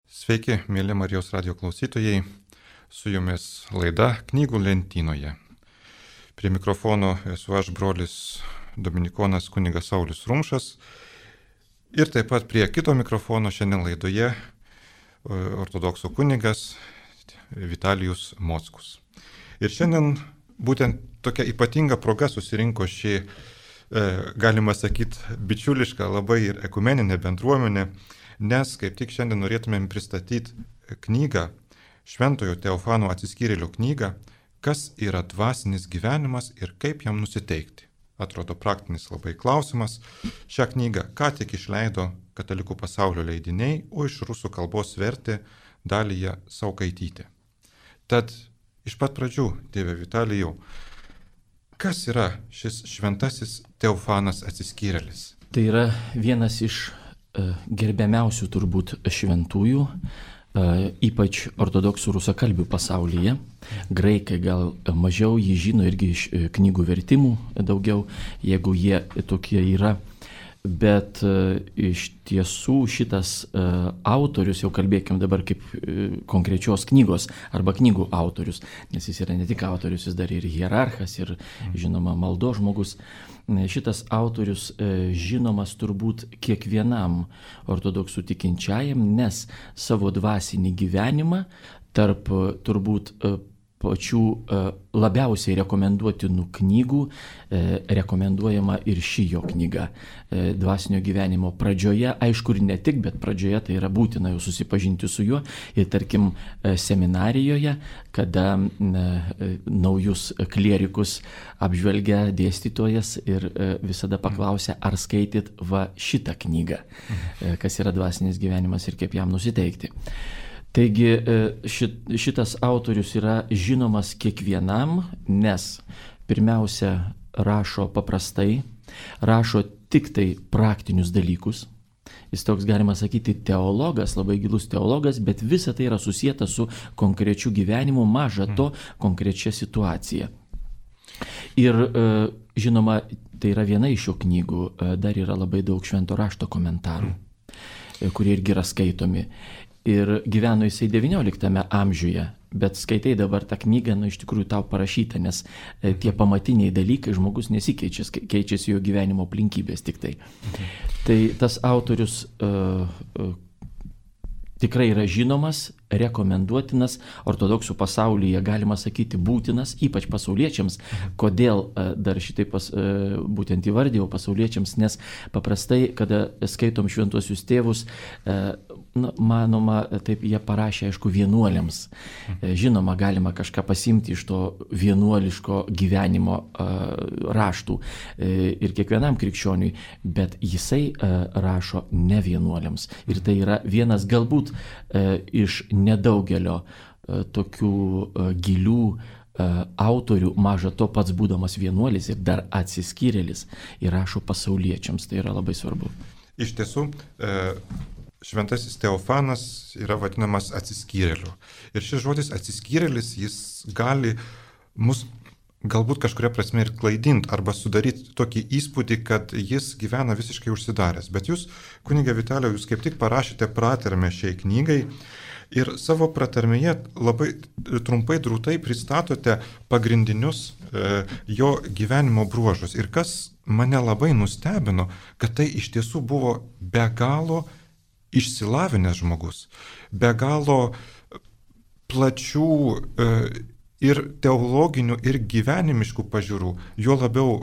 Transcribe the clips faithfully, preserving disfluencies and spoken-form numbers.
Sveiki, mėly Marijos radio klausytojai, su jumis laida Knygų lentynoje. Prie mikrofono esu aš, brolis dominikonas kunigas Saulius Rumšas, ir taip pat prie kito mikrofono šiandien laidoje ortodoksų kunigas Vitalijus Mockus. Ir šiandien būtent tokia ypatinga proga susirinko šį, galima sakyti, bičiulišką labai ir ekumeninę bendruomenę, nes kaip tik šiandien norėtumėm pristatyti knygą, Šventojo Teofano atsiskyrėlio knygą, kas yra dvasinis gyvenimas ir kaip jam nusiteikti. Atrodo praktinis labai klausimas. Šią knygą ką tik išleido Katalikų pasaulio leidiniai, o iš rusų kalbos vertė Dalija Saukaitytė. Tad iš pat pradžių, tėve Vitalijau, kas yra šis šventasis Teofanas atsiskyrėlis? Tai yra vienas iš gerbiamiausių turbūt šventųjų, ypač ortodoksų rusakalbių pasaulyje. Graikai gal mažiau jį žino, irgi iš knygų vertimų daugiau, jeigu jie tokie yra. Bet iš tiesų šitas autorius, jau kalbėkim dabar kaip konkrečios knygos arba knygų autorius, nes jis yra ne tik autorius, jis dar ir hierarchas ir žinoma maldos žmogus. Šitas autorius žinomas turbūt kiekvienam ortodoksų tikinčiajam, nes savo dvasinį gyvenimą tarp turbūt pačių labiausiai rekomenduotinų knygų rekomenduojama ir ši jo knyga dvasinio gyvenimo pradžioje, aišku ir ne tik, bet pradžioje tai yra būtina jau susipažinti su juo ir tarkim seminarijoje, kada naujus klierikus apžvelgia dėstytojas ir visada paklausia, ar skaityt va šitą knygą, kas yra dvasinis gyvenimas ir kaip jam nusiteikti. Taigi šitas autorius yra žinomas kiekvienam, nes pirmiausia rašo paprastai, rašo tik tai praktinius dalykus. Jis toks, galima sakyti, teologas, labai gilus teologas, bet visa tai yra susijęta su konkrečiu gyvenimu, maža to konkrečia situacija. Ir žinoma, tai yra viena iš šio knygų, dar yra labai daug švento rašto komentarų, kurie irgi yra skaitomi. Ir gyveno jisai devynioliktame amžiuje, bet skaitai dabar tą knygą, nu iš tikrųjų tau parašyta, nes tie pamatiniai dalykai žmogus nesikeičia, keičiasi jo gyvenimo aplinkybės tik tai. Mhm. Tai tas autorius uh, uh, tikrai yra žinomas, rekomenduotinas, ortodoksų pasaulyje galima sakyti būtinas, ypač pasauliečiams. Kodėl dar šitai pas, būtent įvardėjau pasauliečiams, nes paprastai, kada skaitom šventuosius tėvus, na, manoma, taip jie parašė, aišku, vienuoliams. Žinoma, galima kažką pasimti iš to vienuoliško gyvenimo raštų ir kiekvienam krikščioniui, bet jisai rašo ne vienuoliams. Ir tai yra vienas galbūt iš nedaugelio uh, tokių uh, gilių uh, autorių, maža to pats būdamas vienuolis ir dar atsiskyrėlis, ir rašo pasauliečiams. Tai yra labai svarbu. Iš tiesų, e, šventasis Teofanas yra vadinamas atsiskyrėliu. Ir šis žodis atsiskyrėlis, jis gali mus galbūt kažkuria prasme ir klaidinti arba sudaryti tokį įspūdį, kad jis gyvena visiškai užsidaręs. Bet jūs, kunige Vitalijau, jūs kaip tik parašėte pratarmę šiai knygai, ir savo pratarmėje labai trumpai drūtai pristatote pagrindinius e, jo gyvenimo bruožus. Ir kas mane labai nustebino, kad tai iš tiesų buvo be galo išsilavinęs žmogus, be galo plačių e, ir teologinių, ir gyvenimiškų pažiūrų, jo labiau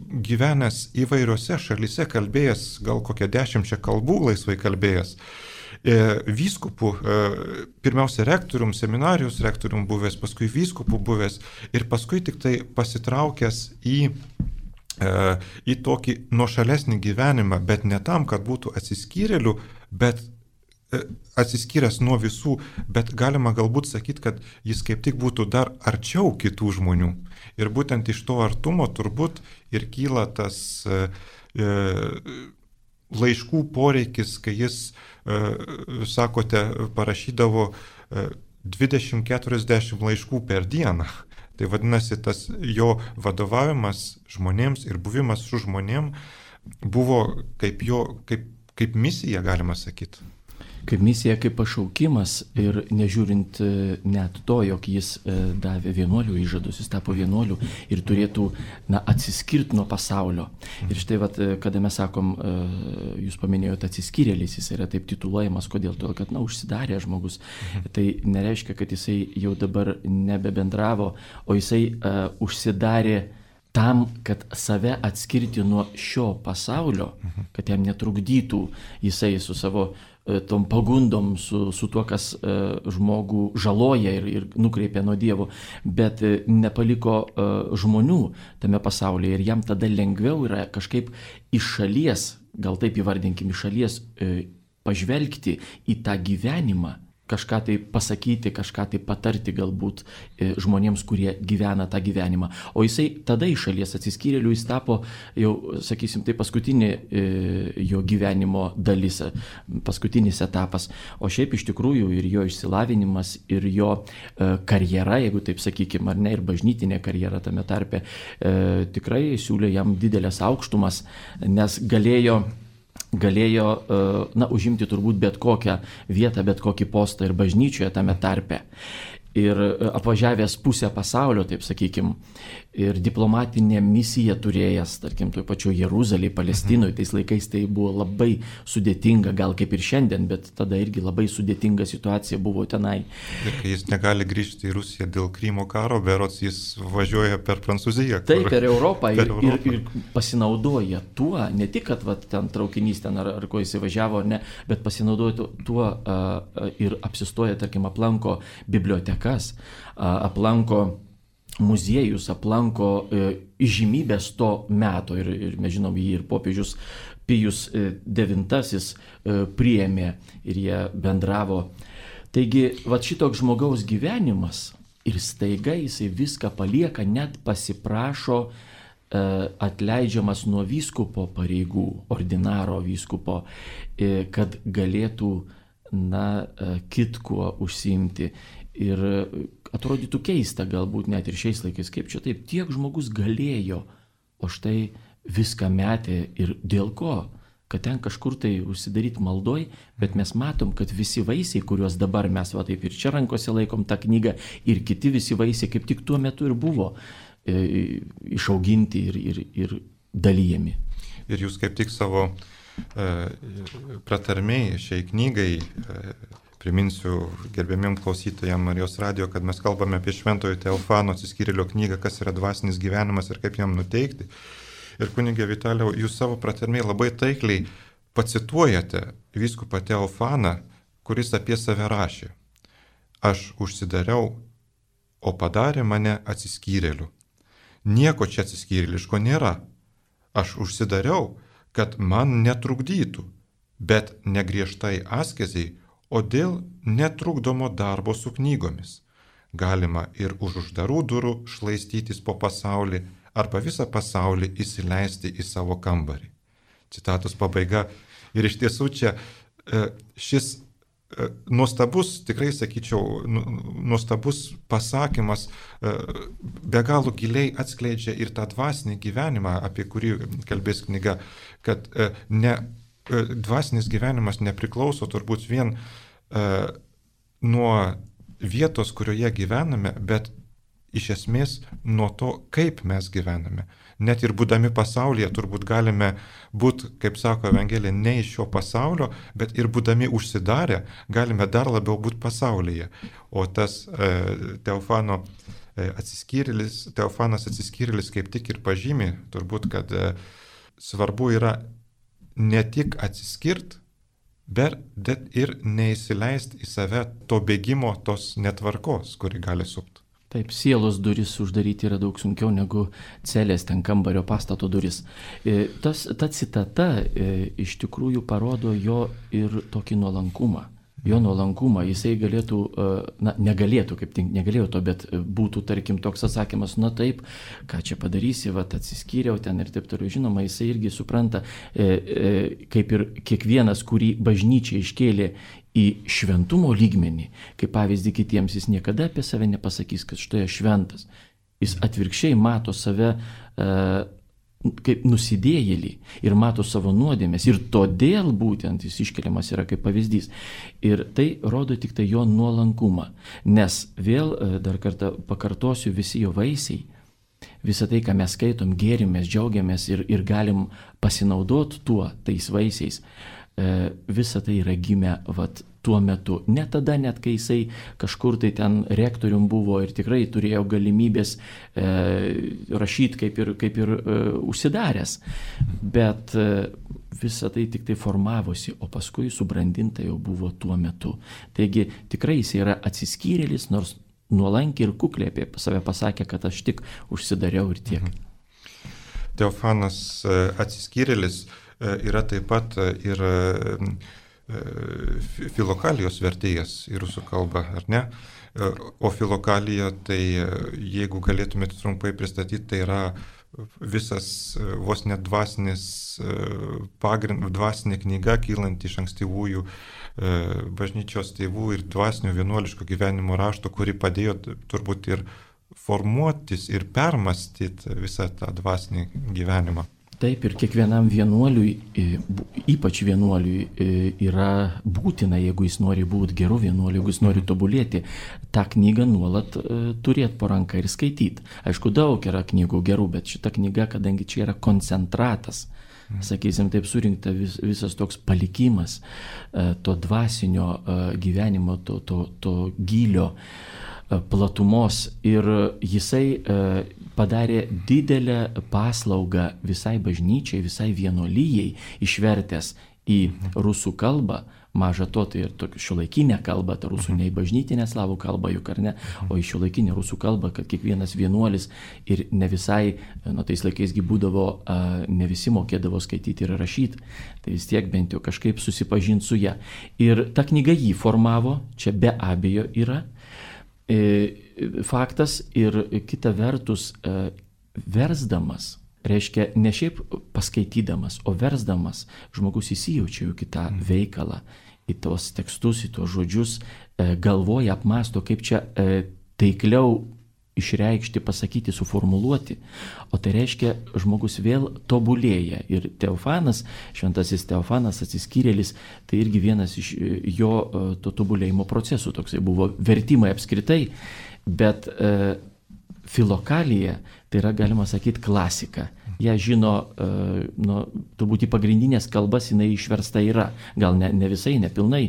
gyvenęs įvairiose šalyse, kalbėjęs gal kokią dešimčią kalbų laisvai kalbėjęs. Vyskupų, pirmiausia rektorium, seminarijos rektorium buvęs, paskui vyskupų buvęs ir paskui tik tai pasitraukęs į, į tokį nuošalesnį gyvenimą, bet ne tam, kad būtų atsiskyrėlių, bet atsiskyręs nuo visų, bet galima galbūt sakyti, kad jis kaip tik būtų dar arčiau kitų žmonių. Ir būtent iš to artumo turbūt ir kyla tas e, laiškų poreikis, kai jis, e, sakote, parašydavo dvidešimt keturiasdešimt laiškų per dieną. Tai vadinasi, tas jo vadovavimas žmonėms ir buvimas su žmonėm buvo kaip jo, kaip, kaip misija, galima sakyti. Kaip misija, kaip pašaukimas ir nežiūrint net to, jog jis davė vienuolių įžadus, jis tapo vienuoliu ir turėtų na, atsiskirti nuo pasaulio. Ir štai, vat, kada mes sakom, jūs paminėjote atsiskyrėlis, jis yra taip tituluojamas, kodėl? Todėl, kad na, užsidarė žmogus. Tai nereiškia, kad jisai jau dabar nebebendravo, o jisai uh, užsidarė tam, kad save atskirti nuo šio pasaulio, kad jam netrukdytų jisai su savo tom pagundom, su, su tuo, kas uh, žmogų žaloja ir, ir nukreipia nuo Dievo, bet uh, nepaliko uh, žmonių tame pasaulyje ir jam tada lengviau yra kažkaip iš šalies, gal taip įvardinkim, iš šalies uh, pažvelgti į tą gyvenimą, kažką tai pasakyti, kažką tai patarti galbūt e, žmonėms, kurie gyvena tą gyvenimą. O jisai tada iš šalies atsiskyrėlių jis tapo jau, sakysim, tai paskutinė e, jo gyvenimo dalis, paskutinis etapas. O šiaip iš tikrųjų ir jo išsilavinimas, ir jo e, karjera, jeigu taip sakykim, ar ne, ir bažnytinė karjera tame tarpe, e, tikrai siūlė jam didelės aukštumas, nes galėjo galėjo na, užimti turbūt bet kokią vietą, bet kokį postą ir bažnyčioje tame tarpe. Ir apvažiavęs pusę pasaulio, taip sakykim, ir diplomatinę misiją turėjęs, tarkim, toj pačioj Jeruzalėje, Palestinoje, tais laikais tai buvo labai sudėtinga, gal kaip ir šiandien, bet tada irgi labai sudėtinga situacija buvo tenai. Ir kai jis negali grįžti į Rusiją dėl Krymo karo, berods jis važiuoja per Prancūziją. Taip, per Europą, per ir, Europą. Ir, ir pasinaudoja tuo, ne tik, kad va, ten traukinys ten ar, ar ko jis važiavo, ar ne, bet pasinaudoja tuo uh, ir apsistoja, tarkim, aplanko biblioteką, aplanko muziejus, aplanko įžymybės to meto ir, ir mes žinom, jį ir popiežius Pijus devintasis priėmė ir jie bendravo. Taigi, va šitoks žmogaus gyvenimas ir staiga jisai viską palieka, net pasiprašo atleidžiamas nuo vyskupo pareigų, ordinaro vyskupo, kad galėtų na, kitkuo užsiimti. Ir atrodytų keista galbūt net ir šiais laikais, kaip čia taip, tiek žmogus galėjo, o štai viską metė ir dėl ko, kad ten kažkur tai užsidaryti maldoj, bet mes matom, kad visi vaisiai, kuriuos dabar mes va taip ir čia rankose laikom tą knygą, ir kiti visi vaisiai kaip tik tuo metu ir buvo e, išauginti ir, ir, ir dalyjami. Ir jūs kaip tik savo e, pratarmėj šiai knygai e, priminsiu gerbiamiem klausytojams Marijos radijo, kad mes kalbame apie Šventojo Teofano atsiskyrėlio knygą, kas yra dvasinis gyvenimas ir kaip jam nuteikti. Ir kunigė Vitalijau, jūs savo pratarmėje labai taikliai pacituojate vyskupą Teofaną, kuris apie save rašė. Aš užsidariau, o padarė mane atsiskyrėliu. Nieko čia atsiskyrėliško nėra. Aš užsidariau, kad man netrukdytų, bet negriežtai askeziai, o dėl netrukdomo darbo su knygomis. Galima ir už uždarų durų šlaistytis po pasaulį arba visą pasaulį įsileisti į savo kambarį. Citatos pabaiga. Ir iš tiesų čia šis nuostabus, tikrai sakyčiau, nuostabus pasakymas be galo giliai atskleidžia ir tą dvasinį gyvenimą, apie kurį kalbės knyga, kad ne dvasinis gyvenimas nepriklauso turbūt vien uh, nuo vietos, kurioje gyvename, bet iš esmės nuo to, kaip mes gyvename. Net ir būdami pasaulyje turbūt galime būti, kaip sako Evangelija, ne iš šio pasaulio, bet ir būdami užsidarę galime dar labiau būti pasaulyje. O tas uh, Teofano uh, atsiskyrėlis, Teofanas atsiskyrėlis kaip tik ir pažymi, turbūt, kad uh, svarbu yra ne tik atsiskirt, bet ir neįsileisti į save to bėgimo, tos netvarkos, kuri gali supti. Taip, sielos duris uždaryti yra daug sunkiau negu celės, ten kambario pastato duris. Tas, ta citata iš tikrųjų parodo jo ir tokį nuolankumą. Jo nuolankumą, jisai galėtų, na, negalėtų, kaip tik negalėjo to, bet būtų, tarkim, toks atsakymas, na taip, ką čia padarysi, va, atsiskyriau ten ir taip toliau. Žinoma, jisai irgi supranta, e, e, kaip ir kiekvienas, kurį bažnyčia iškėlė į šventumo lygmenį, kaip pavyzdį kitiems, jis niekada apie save nepasakys, kad štai aš šventas. Jis atvirkščiai mato save e, kaip nusidėjėlį ir mato savo nuodėmės ir todėl būtent jis iškeliamas yra kaip pavyzdys. Ir tai rodo tik tai jo nuolankumą, nes vėl dar kartą pakartosiu, visi jo vaisiai, visą tai, ką mes skaitom, gėrimės, džiaugiamės ir, ir galim pasinaudoti tuo, tais vaisiais, visa tai yra gimę vat, tuo metu. Ne tada, net kai jisai kažkur tai ten rektorium buvo ir tikrai turėjo galimybės e, rašyti kaip ir, kaip ir e, užsidaręs. Bet e, visa tai tik tai formavosi, o paskui subrandinta jau buvo tuo metu. Taigi tikrai jis yra atsiskyrėlis, nors nuolankiai ir kukliai apie save pasakė, kad aš tik užsidariau ir tiek. Teofanas atsiskyrėlis yra taip pat ir filokalijos vertėjas į rusų kalbą, ar ne? O filokalija, tai jeigu galėtumėte trumpai pristatyti, tai yra visas vos net dvasinis pagrind, dvasinė knyga, kylanti iš ankstyvųjų bažnyčios tėvų ir dvasinio vienuoliško gyvenimo rašto, kuri padėjo turbūt ir formuotis ir permastyti visą tą dvasinį gyvenimą. Taip, ir kiekvienam vienuoliui, ypač vienuoliui, yra būtina, jeigu jis nori būti geru vienuoliu, jeigu jis nori tobulėti, tą knygą nuolat turėti po ranką ir skaityti. Aišku, daug yra knygų gerų, bet šita knyga, kadangi čia yra koncentratas, sakysim, taip surinkta vis, visas toks palikimas to dvasinio gyvenimo, to, to, to gylio, platumos, ir jisai padarė didelę paslaugą visai bažnyčiai, visai vienuolijai, išvertęs į rusų kalbą, maža to, tai ir šiuolaikinę kalbą, ta rusų ne į bažnytinę slavų kalbą juk ar ne, o į šiuolaikinę rusų kalbą, kad kiekvienas vienuolis ir ne visai, nu tais laikaisgi būdavo, ne visi mokėdavo skaityti ir rašyti, tai vis tiek bent jau kažkaip susipažinti su ją. Ir ta knyga jį formavo, čia be abejo yra faktas, ir kita vertus versdamas, reiškia ne šiaip paskaitydamas, o versdamas žmogus įsijaučia į kitą veikalą, į tos tekstus, į tos žodžius, galvoja, apmąsto, kaip čia taikliau išreikšti, pasakyti, suformuluoti. O tai reiškia, žmogus vėl tobulėja. Ir Teofanas, šventasis Teofanas atsiskyrėlis, tai irgi vienas iš jo to tobulėjimo procesų. Toksai buvo vertimai apskritai, bet e, filokalija, tai yra, galima sakyti, klasika. Ją žino, e, nu, turbūt į pagrindinės kalbas jinai išversta yra. Gal ne, ne visai, ne pilnai,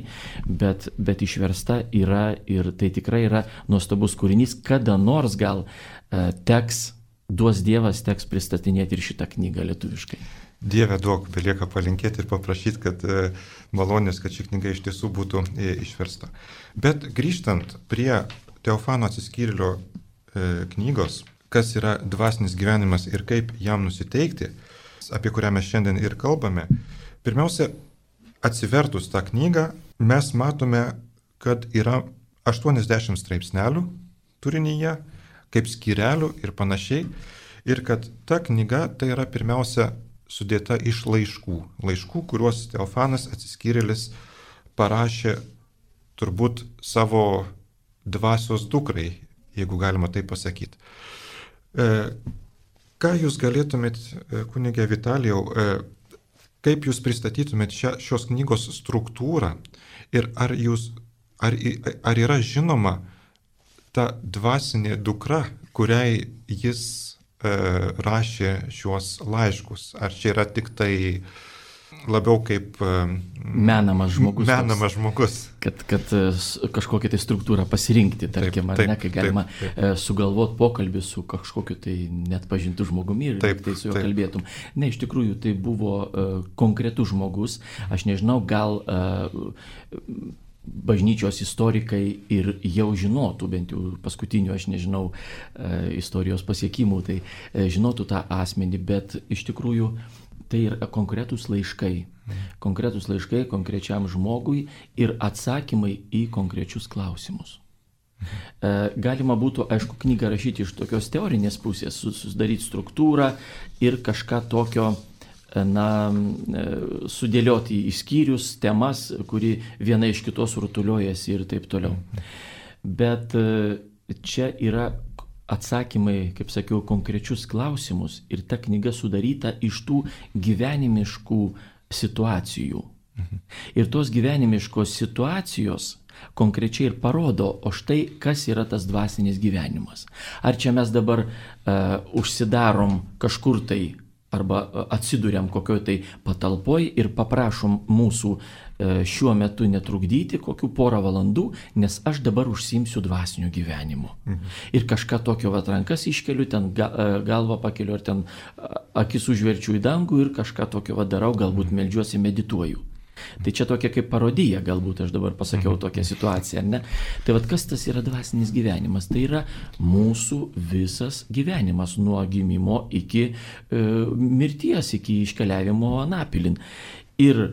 bet, bet išversta yra, ir tai tikrai yra nuostabus kūrinys. Kada nors gal e, teks, duos Dievas, teks pristatinėti ir šitą knygą lietuviškai. Dieve duok, belieka palinkėti ir paprašyti, kad e, malonės, kad ši knyga iš tiesų būtų e, išversta. Bet grįžtant prie Teofano atsiskyrėlio e, knygos, kas yra dvasinis gyvenimas ir kaip jam nusiteikti, apie kurią mes šiandien ir kalbame, pirmiausia, atsivertus tą knygą, mes matome, kad yra aštuoniasdešimt straipsnelių turinyje, kaip skyrelių ir panašiai, ir kad ta knyga tai yra pirmiausia sudėta iš laiškų, laiškų, kuriuos Teofanas atsiskyrėlis parašė turbūt savo dvasios dukrai, jeigu galima tai pasakyti. E, ką jūs galėtumėt, kunige Vitalijau, e, kaip jūs pristatytumėt šią, šios knygos struktūrą ir ar, jūs, ar, ar yra žinoma ta dvasinė dukra, kuriai jis e, rašė šiuos laiškus? Ar čia yra tik tai labiau kaip e, menamas žmogus? Menamas žmogus. Kad, kad kažkokią tai struktūrą pasirinkti, tarkim, ar ne, kai galima taip, taip. sugalvoti pokalbį su kažkokiu tai net pažintų žmogumi ir taip, tai su juo taip. kalbėtum. Ne, iš tikrųjų tai buvo uh, konkretus žmogus. Aš nežinau, gal uh, bažnyčios istorikai ir jau žinotų, bent jau paskutinių, aš nežinau, uh, istorijos pasiekimų, tai uh, žinotų tą asmenį, bet iš tikrųjų tai yra konkretūs laiškai. Konkretūs laiškai konkrečiam žmogui ir atsakymai į konkrečius klausimus. Galima būtų, aišku, knygą rašyti iš tokios teorinės pusės, susidaryti struktūrą ir kažką tokio, na, sudėlioti į skyrius, temas, kuri viena iš kitos rutuliojasi ir taip toliau. Bet čia yra atsakymai, kaip sakiau, konkrečius klausimus ir ta knyga sudaryta iš tų gyvenimiškų situacijų. Mhm. Ir tos gyvenimiškos situacijos konkrečiai ir parodo, o štai kas yra tas dvasinis gyvenimas. Ar čia mes dabar uh, užsidarom kažkur tai arba atsiduriam kokioj tai patalpoj ir paprašom mūsų uh, šiuo metu netrukdyti kokių porą valandų, nes aš dabar užsiimsiu dvasiniu gyvenimu. Mhm. Ir kažką tokio vat rankas iškeliu, ten ga, uh, galvą pakeliu, ar ten uh, akis užverčiu į dangų ir kažką tokio vat darau, galbūt meldžiuosi, medituoju. Tai čia tokia kaip parodija, galbūt aš dabar pasakiau tokią situaciją, ne? Tai vad kas tas yra dvasinis gyvenimas? Tai yra mūsų visas gyvenimas nuo gimimo iki e, mirties, iki iškeliavimo anapilin. Ir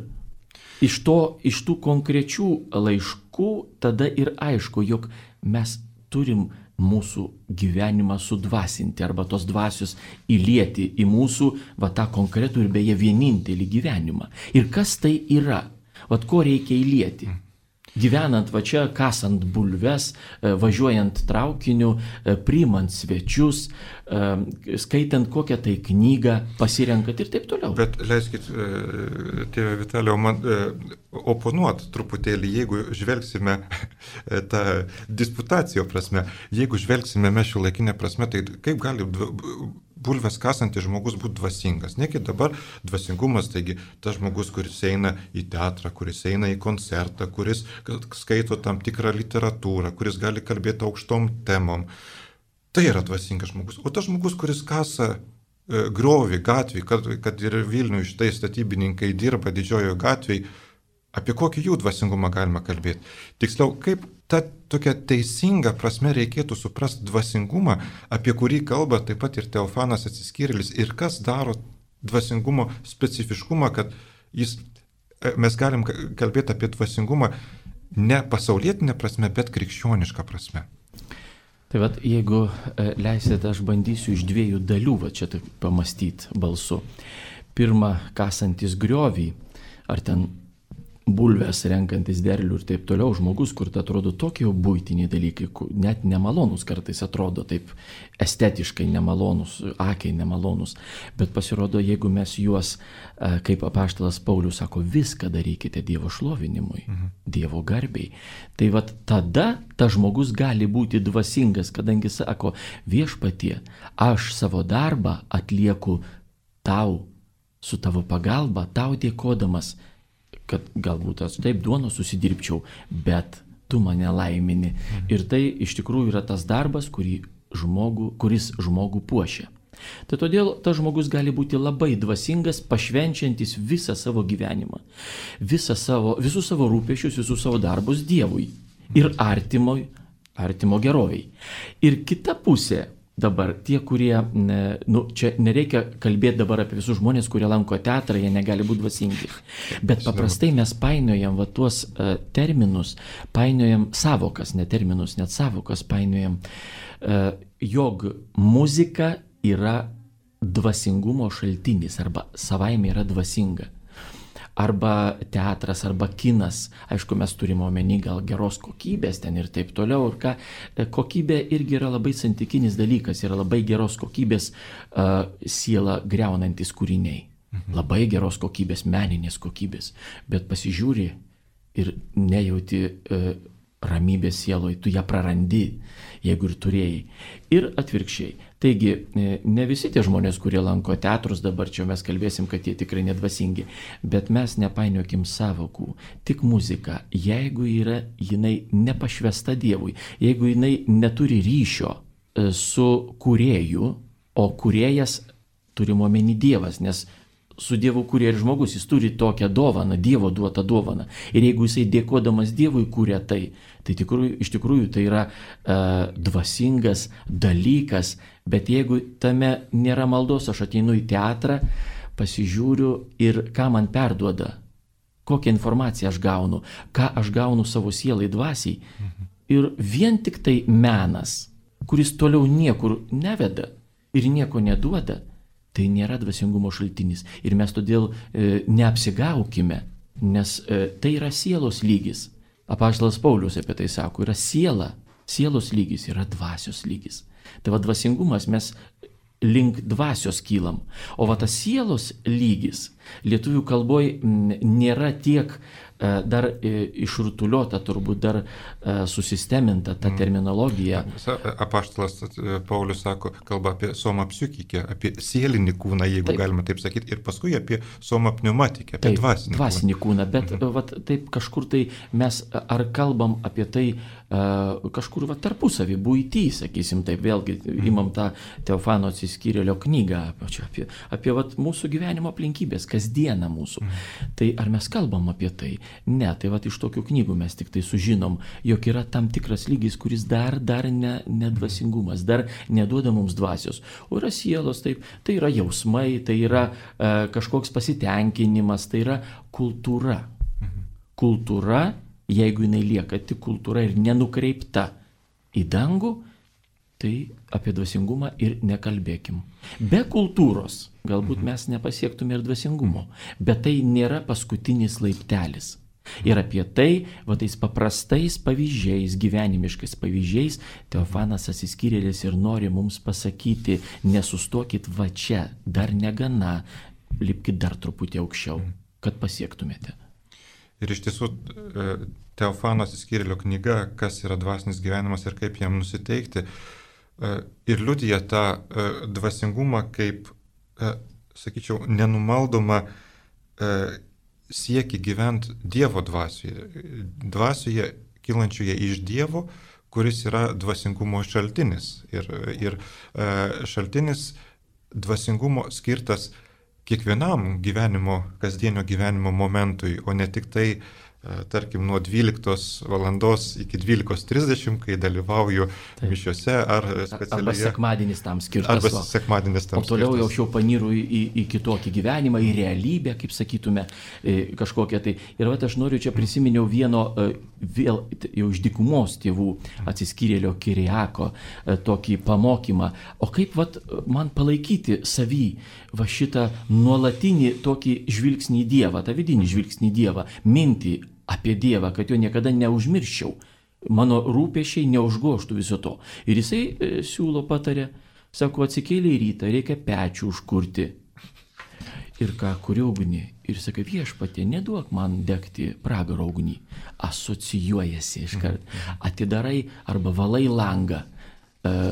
iš, to, iš tų konkrečių laiškų tada ir aišku, jog mes turim mūsų gyvenimą sudvasinti arba tos dvasios įlieti į mūsų va tą konkretų ir beje vienintelį gyvenimą. Ir kas tai yra? Vat ko reikia įlieti? Gyvenant va čia, kasant bulves, važiuojant traukiniu, priimant svečius, skaitant kokią tai knygą, pasirenkant ir taip toliau. Bet leiskit, tėve Vitalijau, man oponuot truputėlį, jeigu žvelgsime tą disputacijo prasme, jeigu žvelgsime mes šiuolaikinę prasme, tai kaip gali bulves kasantis žmogus būti dvasingas. Negi dabar dvasingumas, taigi tas žmogus, kuris eina į teatrą, kuris eina į koncertą, kuris skaito tam tikrą literatūrą, kuris gali kalbėti aukštom temom. Tai yra dvasingas žmogus. O tas žmogus, kuris kasa e, griovį gatvį, kad, kad ir Vilniuje štai statybininkai dirba didžiojoje gatvėje, apie kokį jų dvasingumą galima kalbėti. Tiksliau, kaip ta tokia teisinga prasme reikėtų suprasti dvasingumą, apie kurį kalba taip pat ir Teofanas Atsiskyrėlis, ir kas daro dvasingumo specifiškumą, kad jis, mes galim kalbėti apie dvasingumą ne pasaulietinę prasme, bet krikščionišką prasme. Tai vat, jeigu leisite, aš bandysiu iš dviejų dalių va čia taip pamastyti balsu. Pirma, kasantis griovį, ar ten bulves renkantis derlių ir taip toliau, žmogus, kur tai atrodo tokie buitiniai dalykai, net nemalonus kartais atrodo, taip estetiškai nemalonus, akiai nemalonus, bet pasirodo, jeigu mes juos, kaip apaštalas Paulius sako, viską darykite Dievo šlovinimui, mhm. Dievo garbiai, tai vat tada tas žmogus gali būti dvasingas, kadangi sako, viešpatie, aš savo darbą atlieku tau, su tavo pagalba, tau dėkodamas, kad galbūt aš taip duono susidirbčiau, bet tu mane laimini. Mhm. Ir tai iš tikrųjų yra tas darbas, kurį žmogų, kuris žmogų puošia. Tai todėl tas žmogus gali būti labai dvasingas, pašvenčiantis visą savo gyvenimą, visą savo, visus savo rūpesčius, visus savo darbus Dievui ir artimo, artimo geroviai. Ir kita pusė, dabar tie, kurie, nu, čia nereikia kalbėti dabar apie visus žmonės, kurie lanko teatrą, jie negali būti dvasingi. Bet paprastai mes painiojam va tuos uh, terminus, painiojam savokas, ne terminus, net savokas painiojam, uh, jog muzika yra dvasingumo šaltinis arba savaime yra dvasinga. Arba teatras, arba kinas, aišku, mes turime omeny gal geros kokybės ten ir taip toliau, ir ką, kokybė irgi yra labai santykinis dalykas, yra labai geros kokybės uh, sielą greunantis kūriniai, mhm. labai geros kokybės, meninės kokybės, bet pasižiūri ir nejauti uh, ramybės sieloj, tu ją prarandi, jeigu ir turėjai. Ir atvirkščiai. Taigi, ne visi tie žmonės, kurie lanko teatrus, dabar čia mes kalbėsim, kad jie tikrai nedvasingi, bet mes nepainiokim savokų. Tik muzika, jeigu yra jinai nepašvesta Dievui, jeigu jinai neturi ryšio su kūrėju, o kūrėjas turime omeny Dievas, nes su Dievu kūrė ir žmogus, jis turi tokią dovaną, Dievo duotą dovaną. Ir jeigu jisai dėkodamas Dievui kūrė tai, tai tikrųjų, iš tikrųjų tai yra uh, dvasingas dalykas, bet jeigu tame nėra maldos, aš ateinu į teatrą, pasižiūriu ir ką man perduoda, kokią informaciją aš gaunu, ką aš gaunu savo sielai dvasiai. Mhm. Ir vien tik tai menas, kuris toliau niekur neveda ir nieko neduoda, tai nėra dvasingumo šaltinis. Ir mes todėl e, neapsigaukime, nes e, tai yra sielos lygis. Apaštalas Paulius apie tai sako, yra siela, sielos lygis, yra dvasios lygis. Tai va dvasingumas mes link dvasios kylam. O va tas sielos lygis lietuvių kalboje nėra tiek dar išrutuliuota, turbūt dar susisteminta ta terminologija. Apaštalas Paulius sako, kalba apie soma psichikę, apie sielinį kūną, jeigu taip galima taip sakyti, ir paskui apie soma pneumatikę, apie taip, dvasinį, dvasinį kūną. Bet mhm. vat, taip kažkur tai mes ar kalbam apie tai uh, kažkur vat, tarpusavį, buitį, sakysim taip, vėlgi mhm. imam tą Teofano atsiskyrėlio knygą apie, apie, apie vat, mūsų gyvenimo aplinkybės, kasdieną mūsų. Mhm. Tai ar mes kalbam apie tai? Ne, tai vat iš tokių knygų mes tik tai sužinom, jog yra tam tikras lygis, kuris dar, dar ne, ne dvasingumas, dar neduoda mums dvasios. O yra sielos, taip, tai yra jausmai, tai yra e, kažkoks pasitenkinimas, tai yra kultūra. Kultūra, jeigu jinai lieka tik kultūra ir nenukreipta į dangų, tai apie dvasingumą ir nekalbėkim. Be kultūros galbūt mes nepasiektume ir dvasingumo, bet tai nėra paskutinis laiptelis. Ir apie tai, va tais paprastais pavyzdžiais, gyvenimiškais pavyzdžiais, Teofanas atsiskyrėlis ir nori mums pasakyti, nesustokit va čia, dar negana, lipkit dar truputį aukščiau, kad pasiektumėte. Ir iš tiesų, Teofano atsiskyrėlio knyga, kas yra dvasinis gyvenimas ir kaip jam nusiteikti, ir liudija tą dvasingumą kaip, sakyčiau, nenumaldomą siekį gyventi Dievo dvasioje, dvasioje kylančioje iš Dievo, kuris yra dvasingumo šaltinis. Ir, ir šaltinis dvasingumo skirtas kiekvienam gyvenimo, kasdienio gyvenimo momentui, o ne tik tai, tarkim, nuo dvyliktos valandos iki dvylikos trisdešimt, kai dalyvauju taip mišiuose ar specialiai. Arba sekmadienis tam skirtas. Arba sekmadienis tam skirtas. O toliau jau aš jau paniru į, į, į kitokį gyvenimą, į realybę, kaip sakytume, kažkokią tai. Ir vat aš noriu čia prisiminiau vieno vėl jau iš dykumos tėvų atsiskyrėlio Kiriako tokį pamokymą. O kaip vat man palaikyti savy va šitą nuolatinį tokį žvilgsnį į Dievą, tą vidinį žvilgsnį į Dievą, mintį apie Dievą, kad jo niekada neužmirščiau, mano rūpesčiai neužgoštų viso to. Ir jisai e, siūlo patarė, sako, atsikėlė į rytą, reikia pečių užkurti. Ir ką, kuri ugnį? Ir sakai, viešpatie, neduok man degti pragaro ugnį. Asocijuojasi iškart. Atidarai arba valai langą e,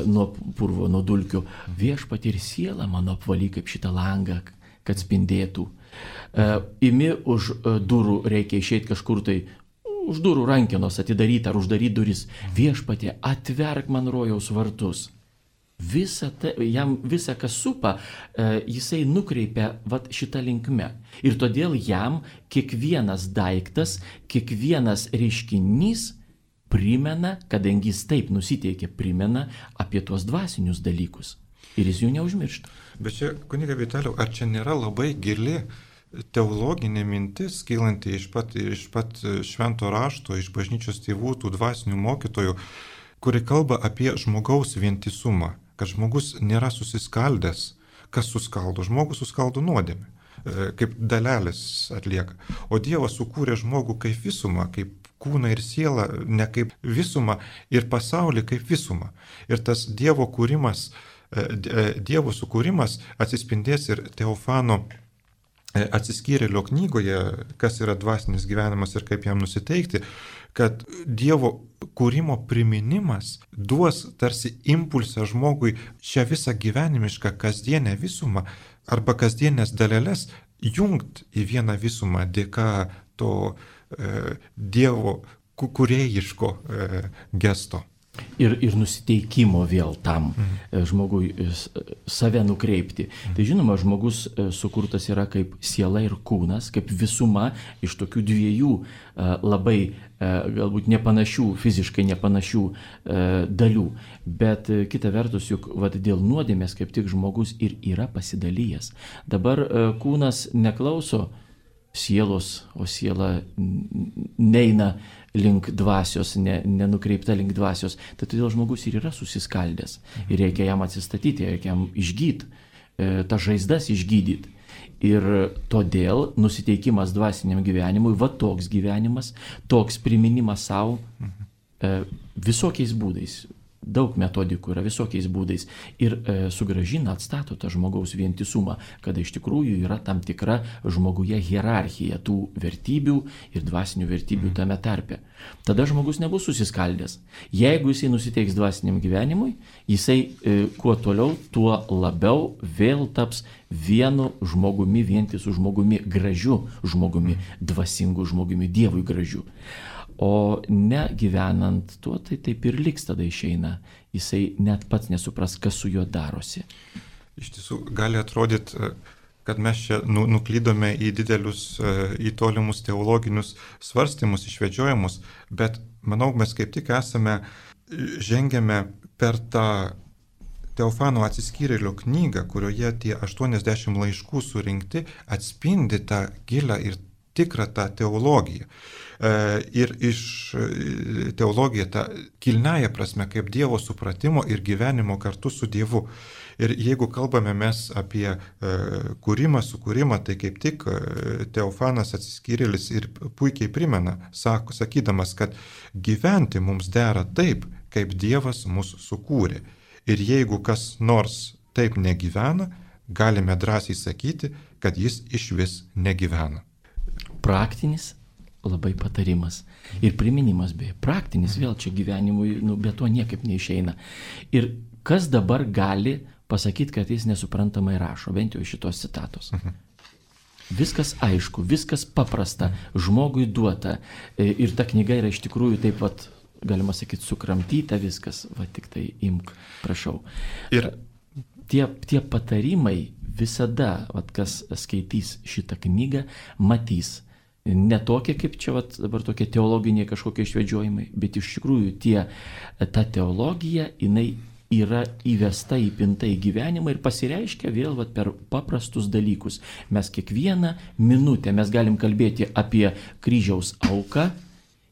nuo purvo, nuo dulkių. Viešpatie, ir siela mano apvaly kaip šitą langą, kad spindėtų. Uh, imi už uh, durų, reikia išeiti kažkur tai, už durų rankenos atidaryti ar uždaryti duris. Viešpatie, atverk man rojaus vartus. Visa ta, jam visą, kas supa, uh, jisai nukreipia vat, šitą linkme. Ir todėl jam kiekvienas daiktas, kiekvienas reiškinys primena, kadangi jis taip nusiteikia, primena apie tuos dvasinius dalykus. Ir jis jų neužmiršta. Bet čia, kuniga Vitalijau, ar čia nėra labai gili teologinė mintis, kylanti iš pat, iš pat švento rašto, iš bažnyčios tėvų, tų dvasinių mokytojų, kuri kalba apie žmogaus vientisumą, kad žmogus nėra susiskaldęs, kas suskaldo, žmogus suskaldo nuodėmę, kaip dalelės atlieka. O Dievas sukūrė žmogų kaip visumą, kaip kūną ir sielą, ne kaip visumą, ir pasaulį kaip visumą. Ir tas Dievo kūrimas, Dievo sukūrimas atsispindės ir Teofano atsiskyrėlio knygoje, kas yra dvasinis gyvenimas ir kaip jam nusiteikti, kad Dievo kūrimo priminimas duos tarsi impulsą žmogui šią visą gyvenimišką kasdienę visumą arba kasdienės dalelės jungt į vieną visumą dėka to e, Dievo kūrėjiško e, gesto. Ir, ir nusiteikimo vėl tam mm. žmogui save nukreipti. Mm. Tai žinoma, žmogus sukurtas yra kaip siela ir kūnas, kaip visuma iš tokių dviejų labai galbūt nepanašių, fiziškai nepanašių dalių. Bet kita vertus, juk vat, dėl nuodėmės kaip tik žmogus ir yra pasidalijęs. Dabar kūnas neklauso sielos, o siela neina link dvasios, ne, nenukreipta link dvasios. Tai todėl žmogus ir yra susiskaldęs. Ir reikia jam atsistatyti, reikia jam išgydyti, e, tą žaizdas išgydyti. Ir todėl nusiteikimas dvasiniam gyvenimui, va toks gyvenimas, toks priminimas savo e, visokiais būdais. daug metodikų yra visokiais būdais ir e, sugražina, atstato tą žmogaus vientisumą, kada iš tikrųjų yra tam tikra žmoguje hierarchija tų vertybių ir dvasinių vertybių tame tarpe. Tada žmogus nebus susiskaldęs. Jeigu jisai nusiteiks dvasiniam gyvenimui, jisai e, kuo toliau, tuo labiau vėl taps vienu žmogumi, vientisu žmogumi, gražiu žmogumi, dvasingu žmogumi, Dievui gražiu. O ne gyvenant tuo, tai taip ir liks tada išeina. Jisai net pats nesupras, kas su juo darosi. Iš tiesų, gali atrodyti, kad mes čia nu, nuklydome į didelius, į tolimus teologinius svarstymus, išvedžiojimus, bet manau, mes kaip tik esame, žengėme per tą Teofano atsiskyrėlio knygą, kurioje tie aštuoniasdešimt laiškų surinkti atspindi tą gilą ir tikrą tą teologiją. Ir iš teologija ta kilniaja prasme kaip Dievo supratimo ir gyvenimo kartu su Dievu. Ir jeigu kalbame mes apie kūrimą, sukūrimą, tai kaip tik Teofanas atsiskyrėlis ir puikiai primena, sak, sakydamas, kad gyventi mums dera taip, kaip Dievas mus sukūrė. Ir jeigu kas nors taip negyvena, galime drąsiai sakyti, kad jis išvis negyvena. Praktinis labai patarimas. Ir priminimas beje. Praktinis vėl čia gyvenimui, nu, be to niekaip neišeina. Ir kas dabar gali pasakyti, kad jis nesuprantamai rašo, bent jau šitos citatos. Mhm. Viskas aišku, viskas paprasta, žmogui duota. Ir ta knyga yra iš tikrųjų taip pat, galima sakyti, sukramtyta viskas. Va tik tai imk, prašau. Ir tie, tie patarimai visada, va, kas skaitys šitą knygą, matys. Ne tokie, kaip čia vat, dabar tokie teologiniai kažkokie išvedžiojimai, bet iš tikrųjų tie, ta teologija, jinai yra įvesta, įpinta į gyvenimą ir pasireiškia vėl vat, per paprastus dalykus. Mes kiekvieną minutę mes galim kalbėti apie kryžiaus auką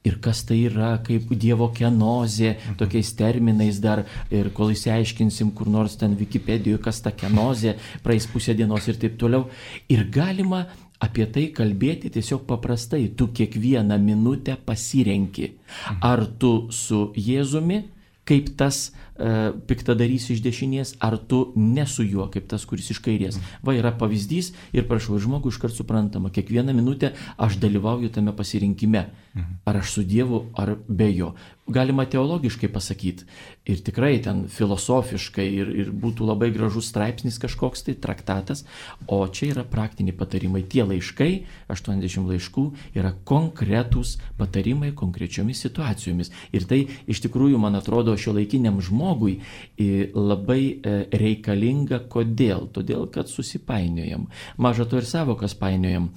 ir kas tai yra, kaip Dievo kenozė, tokiais terminais dar, ir kol įsiaiškinsim kur nors ten Wikipedijoje, kas ta kenozė, praeis pusę dienos ir taip toliau. Ir galima apie tai kalbėti tiesiog paprastai. Tu kiekvieną minutę pasirenki. Ar tu su Jėzumi, kaip tas e, piktadarys iš dešinės, ar tu ne su juo, kaip tas, kuris iš kairės. Va yra pavyzdys ir prašau, žmogui iškart suprantama, kiekvieną minutę aš dalyvauju tame pasirinkime. Ar aš su Dievu, ar be jo. Galima teologiškai pasakyti ir tikrai ten filosofiškai ir, ir būtų labai gražus straipsnis kažkoks tai traktatas, o čia yra praktiniai patarimai. Tie laiškai, aštuoniasdešimt laiškų, yra konkretūs patarimai konkrečiomis situacijomis. Ir tai iš tikrųjų, man atrodo, šiuolaikiniam žmogui labai reikalinga. Kodėl? Todėl, kad susipainiojam. Maža to ir savokas painiojam.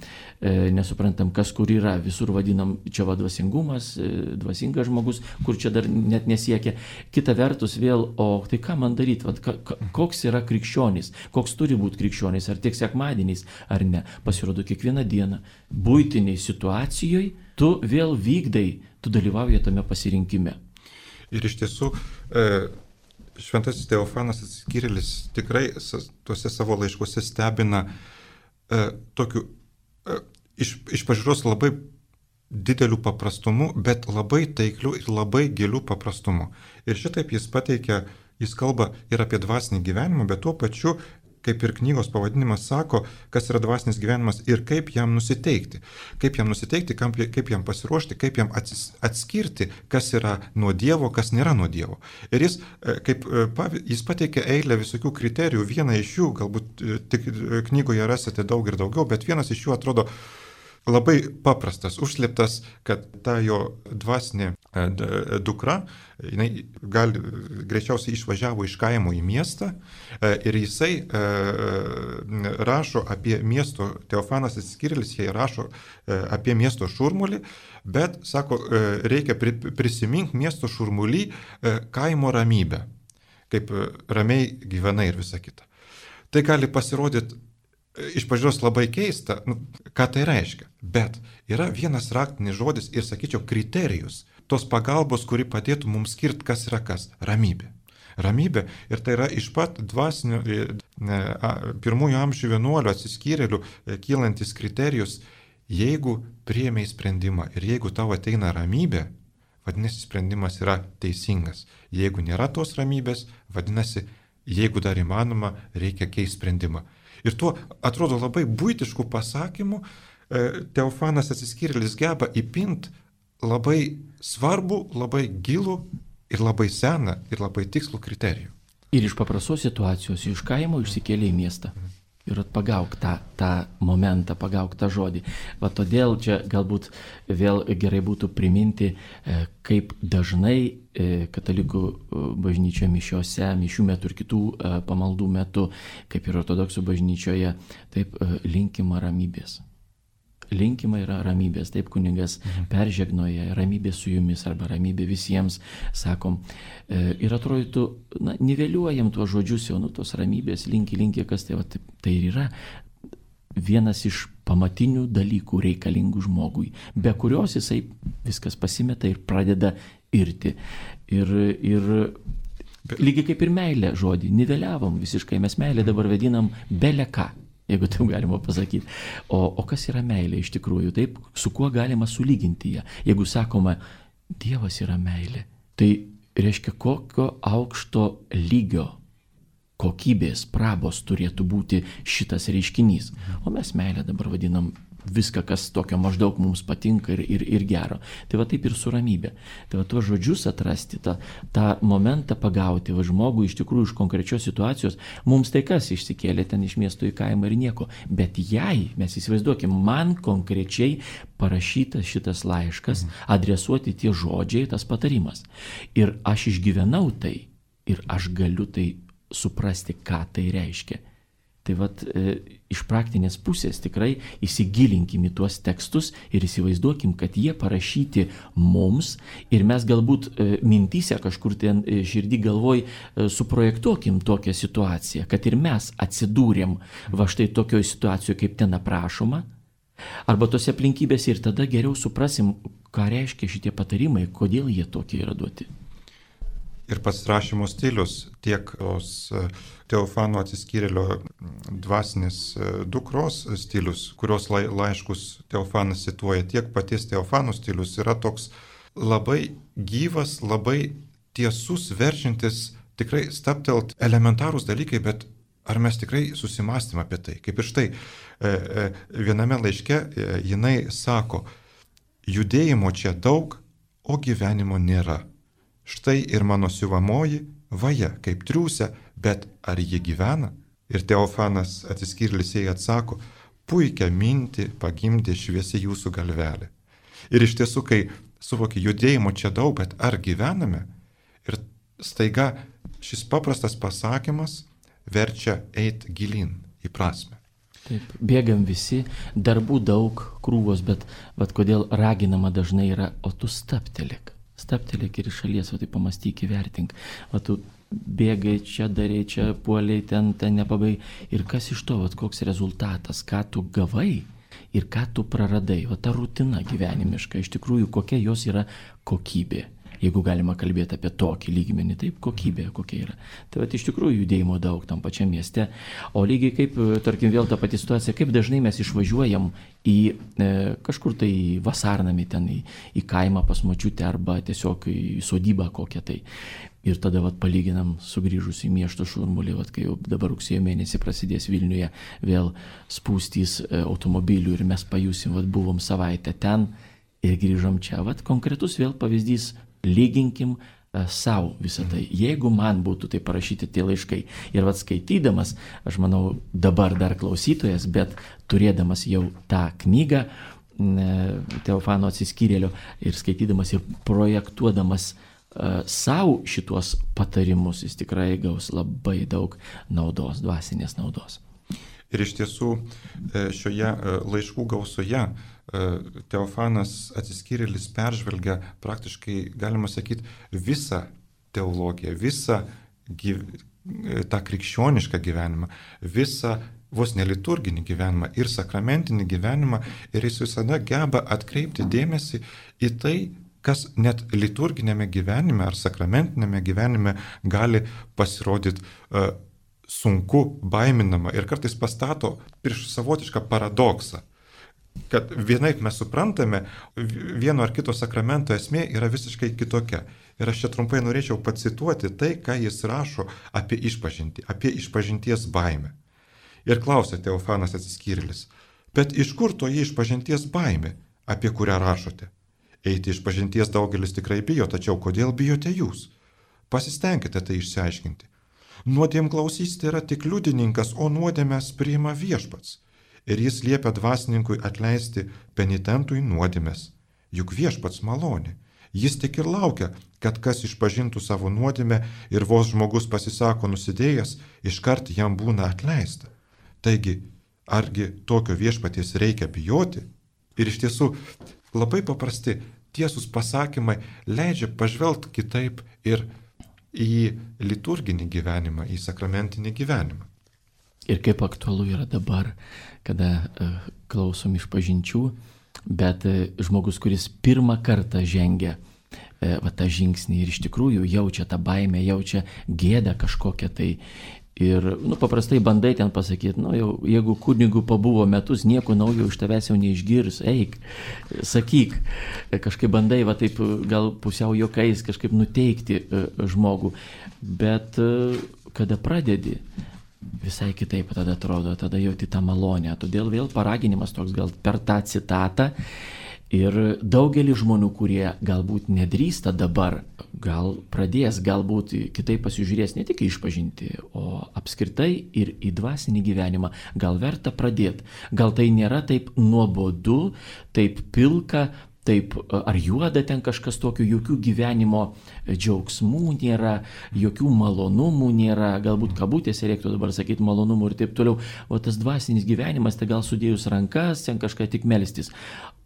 Nesuprantam, kas kur yra. Visur vadinam, čia va dvasingumas, dvasingas žmogus, kur čia dar net nesiekia. Kita vertus vėl, o tai ką man daryti? Vat, ka, ka, koks yra krikščionis? Koks turi būti krikščionis? Ar tik sekmadieniais, ar ne? Pasirodo, kiekvieną dieną buitiniai situacijoje tu vėl vykdai, tu dalyvauji tame pasirinkime. Ir iš tiesų, šventasis Teofanas atsiskyrėlis tikrai tuose savo laiškuose stebina tokiu iš, iš pažiūros labai dideliu paprastumu, bet labai taikliu ir labai giliu paprastumu. Ir šitaip jis pateikia, jis kalba ir apie dvasinį gyvenimą, bet tuo pačiu, kaip ir knygos pavadinimas sako, kas yra dvasinis gyvenimas ir kaip jam nusiteikti. Kaip jam nusiteikti, kaip jam pasiruošti, kaip jam atsis, atskirti, kas yra nuo Dievo, kas nėra nuo Dievo. Ir jis, kaip, jis pateikia eilę visokių kriterijų, vieną iš jų, galbūt tik knygoje rasite daug ir daugiau, bet vienas iš jų atrodo labai paprastas, užslėptas, kad ta jo dvasinė dukra, jinai gal greičiausiai išvažiavo iš kaimo į miestą ir jisai rašo apie miesto, Teofanas atsiskyrėlis, jie rašo apie miesto šurmulį, bet, sako, reikia prisiminti miesto šurmulį kaimo ramybę, kaip ramiai gyvenai ir visa kita. Tai gali pasirodyti iš pažiūros labai keista, nu, ką tai reiškia. Bet yra vienas raktinis žodis ir, sakyčiau, kriterijus tos pagalbos, kuri padėtų mums skirti, kas yra kas. Ramybė. Ramybė. Ir tai yra iš pat dvasinių pirmųjų amžių vienuolių atsiskyrėlių kylantis kriterijus. Jeigu priėmei sprendimą ir jeigu tau ateina ramybė, vadinasi, sprendimas yra teisingas. Jeigu nėra tos ramybės, vadinasi, jeigu dar įmanoma, reikia keisti sprendimą. Ir tuo, atrodo, labai buitiškų pasakymų Teofanas Atsiskyrėlis geba įpinti labai svarbu, labai gilų ir labai seną ir labai tikslų kriterijų. Ir iš paprastos situacijos, iš kaimo išsikėlė į miestą. Ir pagauk tą, tą momentą, pagauk tą žodį. Va todėl čia galbūt vėl gerai būtų priminti, kaip dažnai katalikų bažnyčioje mišiose, mišių metu ir kitų pamaldų metu, kaip ir ortodoksų bažnyčioje, taip linkima ramybės. Linkima yra ramybės, taip kunigas peržegnoja, ramybė su jumis arba ramybė visiems, sakom. Ir atrodytų, na, niveliuojam tuos žodžius jau, nu, tos ramybės, linki, linki, kas tai, va, tai ir yra vienas iš pamatinių dalykų reikalingų žmogui, be kurios jisai viskas pasimeta ir pradeda irti. Ir, ir lygiai kaip ir meilė žodį, niveliavom visiškai, mes meilę dabar vadinam bele ką. Jeigu taip galima pasakyti. O, o kas yra meilė iš tikrųjų? Taip, su kuo galima sulyginti ją? Jeigu sakoma, Dievas yra meilė, tai reiškia, kokio aukšto lygio, kokybės, prabos turėtų būti šitas reiškinys. O mes meilę dabar vadinam viską, kas tokio maždaug mums patinka ir, ir, ir gero. Tai va taip ir su ramybė. Tai va tuos žodžius atrasti, tą, tą momentą pagauti, va žmogų iš tikrųjų iš konkrečios situacijos, mums tai kas išsikėlė ten iš miesto į kaimą ir nieko. Bet jei, mes įsivaizduokim, man konkrečiai parašytas šitas laiškas, adresuoti tie žodžiai, tas patarimas. Ir aš išgyvenau tai ir aš galiu tai suprasti, ką tai reiškia. Tai vat e, iš praktinės pusės tikrai įsigilinkim į tuos tekstus ir įsivaizduokim, kad jie parašyti mums ir mes galbūt e, mintyse kažkur ten e, širdį galvoj e, suprojektuokim tokią situaciją, kad ir mes atsidūrėm va štai tokioje situacijoje, kaip ten aprašoma, arba tose aplinkybėse ir tada geriau suprasim, ką reiškia šitie patarimai, kodėl jie tokie yra duoti. Ir pats rašymo stilius, tiek tos Teofano Atsiskyrėlio dvasinės dukros stilius, kurios laiškus Teofanas cituoja, tiek paties Teofano stilius yra toks labai gyvas, labai tiesus, verčiantis tikrai staptelt elementarūs dalykai, bet ar mes tikrai susimastėm apie tai? Kaip ir štai viename laiške jinai sako, judėjimo čia daug, o gyvenimo nėra. Štai ir mano siuvamoji vaja, kaip triūsia, bet ar ji gyvena? Ir Teofanas Atsiskyrėlis jai atsako, puikią mintį pagimdė šviesi jūsų galvelė. Ir iš tiesų, kai suvokia judėjimo čia daug, bet ar gyvename? Ir staiga šis paprastas pasakymas verčia eit gilin į prasme. Taip, bėgam visi, darbų daug, krūvos, bet, bet kodėl raginama dažnai yra, o tu staptelėk. Staptelėk ir iš šalies, o tai pamastyk, įvertink. O tu bėgai čia, darai čia, puoliai, ten, ten nepabai. Ir kas iš to, vat, koks rezultatas, ką tu gavai ir ką tu praradai. O ta rutina gyvenimiška, iš tikrųjų, kokia jos yra kokybė. Jeigu galima kalbėti apie tokį lygmenį, taip, kokybė kokia yra. Tai vat, iš tikrųjų judėjimo daug tam pačiam mieste. O lygiai kaip, tarkim, vėl ta pati situacija, kaip dažnai mes išvažiuojam į e, kažkur tai vasarnamį ten, į, į kaimą pas močiutę arba tiesiog į sodybą kokią tai. Ir tada vat, palyginam sugrįžus į miesto šurmulį, vat, kai jau dabar rugsėjo mėnesį prasidės Vilniuje vėl spūstys e, automobilių ir mes pajusim, vat, buvom savaitę ten ir grįžom čia. Vat, konkretus vėl pavyzdys. Lyginkim uh, savo visą tai. Jeigu man būtų tai parašyti tie laiškai ir vat skaitydamas, aš manau dabar dar klausytojas, bet turėdamas jau tą knygą uh, Teofano Atsiskyrėlio ir skaitydamas ir projektuodamas uh, savo šituos patarimus, jis tikrai gaus labai daug naudos, dvasinės naudos. Ir iš tiesų šioje laiškų gausoje Teofanas Atsiskyrėlis peržvelgia praktiškai, galima sakyti, visą teologiją, visą gyv... tą krikščionišką gyvenimą, visą vos neliturginį gyvenimą ir sakramentinį gyvenimą, ir jis visada geba atkreipti dėmesį į tai, kas net liturginėme gyvenime ar sakramentinėme gyvenime gali pasirodyti uh, sunku, baiminama ir kartais pastato prieš savotišką paradoksą. kad vienaip mes suprantame, vieno ar kito sakramento esmė yra visiškai kitokia. Ir aš čia trumpai norėčiau pacituoti tai, ką jis rašo apie išpažintį, apie išpažinties baimę. Ir klausia Teofanas Atsiskyrėlis, bet iš kur toji išpažinties baimė, apie kurią rašote? Eiti išpažinties daugelis tikrai bijo, tačiau kodėl bijote jūs? Pasistengkite tai išsiaiškinti. Nuodėmklausys tai yra tik liudininkas, o nuodėmes priima viešpats. Ir jis liepia dvasininkui atleisti penitentui nuodėmes. Juk viešpats malonė. Jis tik ir laukia, kad kas išpažintų savo nuodėmę ir vos žmogus pasisako nusidėjęs, iškart jam būna atleista. Taigi, argi tokio viešpaties reikia bijoti? Ir iš tiesų, labai paprasti, tiesūs pasakymai leidžia pažvelgti kitaip ir į liturginį gyvenimą, į sakramentinį gyvenimą. Ir kaip aktualu yra dabar, kada uh, klausom išpažinčių, bet uh, žmogus, kuris pirmą kartą žengia uh, va, tą žingsnį ir iš tikrųjų jaučia tą baimę, jaučia gėdą kažkokią tai. Ir nu, paprastai bandai ten pasakyti, nu, jau, jeigu kunigu pabuvo metus, nieko naujo iš tavęs jau neišgirs, eik, sakyk. Kažkaip bandai va taip gal pusiau juokais kažkaip nuteikti uh, žmogų. Bet uh, kada pradedi, visai kitaip tada atrodo, tada jauti tą malonę. Todėl vėl paraginimas toks gal per tą citatą. Ir daugelį žmonių, kurie galbūt nedrįsta dabar, gal pradės, galbūt kitaip pasižiūrės ne tik išpažinti, o apskritai ir į dvasinį gyvenimą. Gal verta pradėti. Gal tai nėra taip nuobodu, taip pilka, taip ar juoda ten kažkas tokio, jokių gyvenimo džiaugsmų nėra, jokių malonumų nėra, galbūt kabutėse reiktų dabar sakyti malonumų ir taip toliau. O tas dvasinis gyvenimas, tai gal sudėjus rankas, ten kažką tik melstis.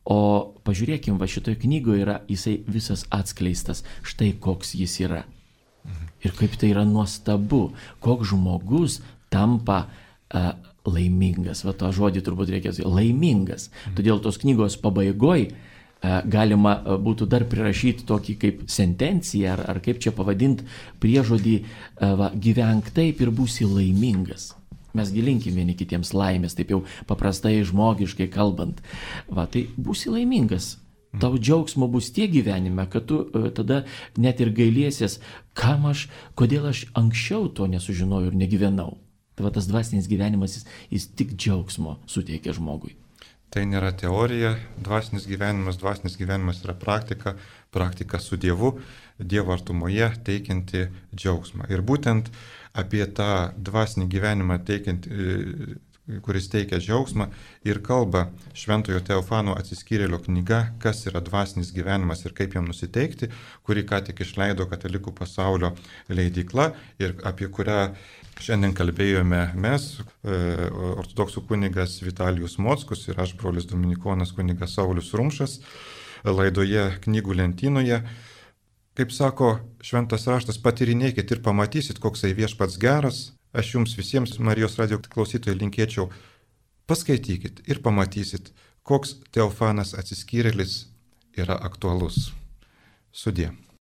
O pažiūrėkim, va šitoje knygoje yra jisai visas atskleistas, štai koks jis yra. Ir kaip tai yra nuostabu, koks žmogus tampa uh, laimingas. Va to žodį turbūt reikės, laimingas. Todėl tos knygos pabaigoje galima būtų dar prirašyti tokį kaip sentenciją, ar, ar kaip čia pavadinti priežodį, va, gyvenk taip ir būsi laimingas. Mes gilinkim vieni kitiems laimės, taip jau paprastai žmogiškai kalbant. Va, tai būsi laimingas. Tau džiaugsmo bus tiek gyvenime, kad tu uh, tada net ir gailėsies, kam aš, kodėl aš anksčiau to nesužinojau ir negyvenau. Tai va, tas dvasinis gyvenimas, jis, jis tik džiaugsmo suteikia žmogui. Tai nėra teorija, dvasinis gyvenimas, dvasinis gyvenimas yra praktika, praktika su Dievu, Dievo artumoje teikianti džiaugsmą. Ir būtent apie tą dvasinį gyvenimą teikiantį, kuris teikia džiaugsmą, ir kalba Šventojo Teofano Atsiskyrėlio knyga, kas yra dvasinis gyvenimas ir kaip jam nusiteikti, kurį ką tik išleido Katalikų pasaulio leidykla ir apie kurią šiandien kalbėjome mes, ortodoksų kunigas Vitalijus Mockus ir aš, brolis dominikonas kunigas Saulius Rumšas, laidoje Knygų lentynoje. Kaip sako šventas raštas, patyrinėkit ir pamatysit, koksai viešpats geras. Aš jums visiems, Marijos radijo klausytojai, linkėčiau, paskaitykit ir pamatysit, koks Teofanas Atsiskyrėlis yra aktualus. Sudie.